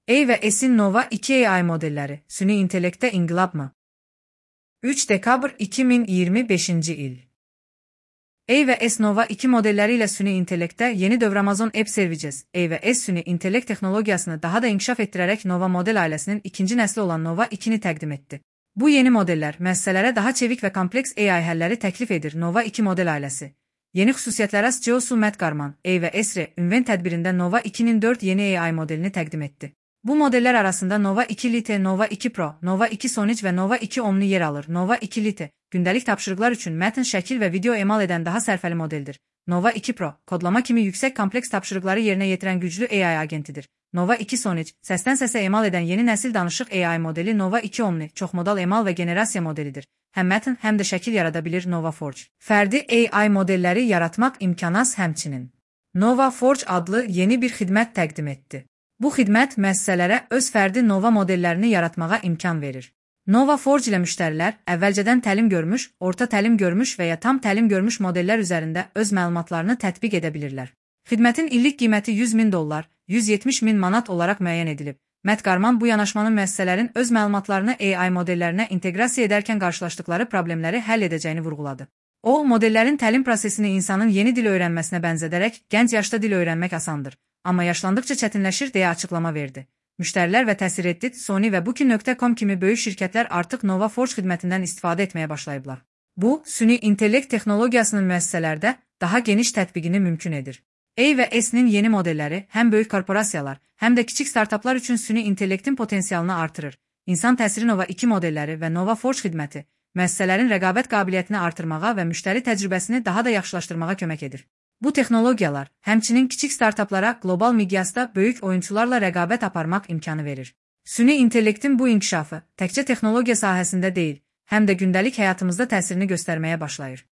A və S-in Nova 2 AI modelləri süni intellektdə inqilab mı? 3 dekabr 2025 il. A və S Nova 2 modelləri ilə süni intellektdə yeni dövr Amazon Web Services, A və S süni intellekt texnologiyasını daha da inkişaf etdirərək Nova model ailəsinin ikinci nəsli olan Nova 2-ni təqdim etdi. Bu yeni modellər müəssisələrə daha çevik və kompleks AI həlləri təklif edir. Nova 2 model ailəsi yeni xüsusiyyətlərə CEO Matt Garman, A və S ünvan tədbirində Nova 2-nin 4 yeni AI modelini təqdim etdi. Bu modellər arasında Nova 2 Lite, Nova 2 Pro, Nova 2 Sonic və Nova 2 Omni yer alır. Nova 2 Lite gündəlik tapşırıqlar üçün mətn, şəkil və video emal edən daha sərfəli modeldir. Nova 2 Pro kodlama kimi yüksək kompleks tapşırıqları yerinə yetirən güclü AI agentidir. Nova 2 Sonic səsdən səsə emal edən yeni nəsil danışıq AI modeli. Nova 2 Omni çoxmodal emal və generasiya modelidir. Həm mətn, həm də şəkil yarada bilir. Nova Forge fərdi AI modelləri yaratmaq imkanı həmçinin Nova Forge adlı yeni bir xidmət təqdim etdi. Bu xidmət müəssisələrə öz fərdi Nova modellərini yaratmağa imkan verir. Nova Forge ilə müştərilər əvvəlcədən təlim görmüş, orta təlim görmüş və ya tam təlim görmüş modellər üzərində öz məlumatlarını tətbiq edə bilirlər. Xidmətin illik qiyməti $100.000, 170.000 manat olaraq müəyyən edilib. Matt Garman bu yanaşmanın müəssisələrin öz məlumatlarını AI modellərinə inteqrasiya edərkən qarşılaşdıqları problemləri həll edəcəyini vurğuladı. O, modellərin təlim prosesini insanın yeni dil öyrənməsinə bənzədərək gənc yaşda dil öyrənmək asandır, amma yaşlandıqca çətinləşir deyə açıqlama verdi. Müştərilər və Təsir, Sony və Booking.com kimi böyük şirkətlər artıq Nova Forge xidmətindən istifadə etməyə başlayıblar. Bu, süni intellekt texnologiyasının müəssisələrdə daha geniş tətbiqini mümkün edir. A və S-nin yeni modelləri həm böyük korporasiyalar, həm də kiçik startaplar üçün süni intellektin potensialını artırır. İnsan təsiri Nova 2 modelləri və Nova Forge xidməti müəssisələrin rəqabət qabiliyyətini artırmağa və müştəri təcrübəsini daha da yaxşılaşdırmağa kömək edir. Bu texnologiyalar həmçinin kiçik startaplara qlobal miqyasda böyük oyunçularla rəqabət aparmaq imkanı verir. Süni intellektin bu inkişafı təkcə texnologiya sahəsində deyil, həm də gündəlik həyatımızda təsirini göstərməyə başlayır.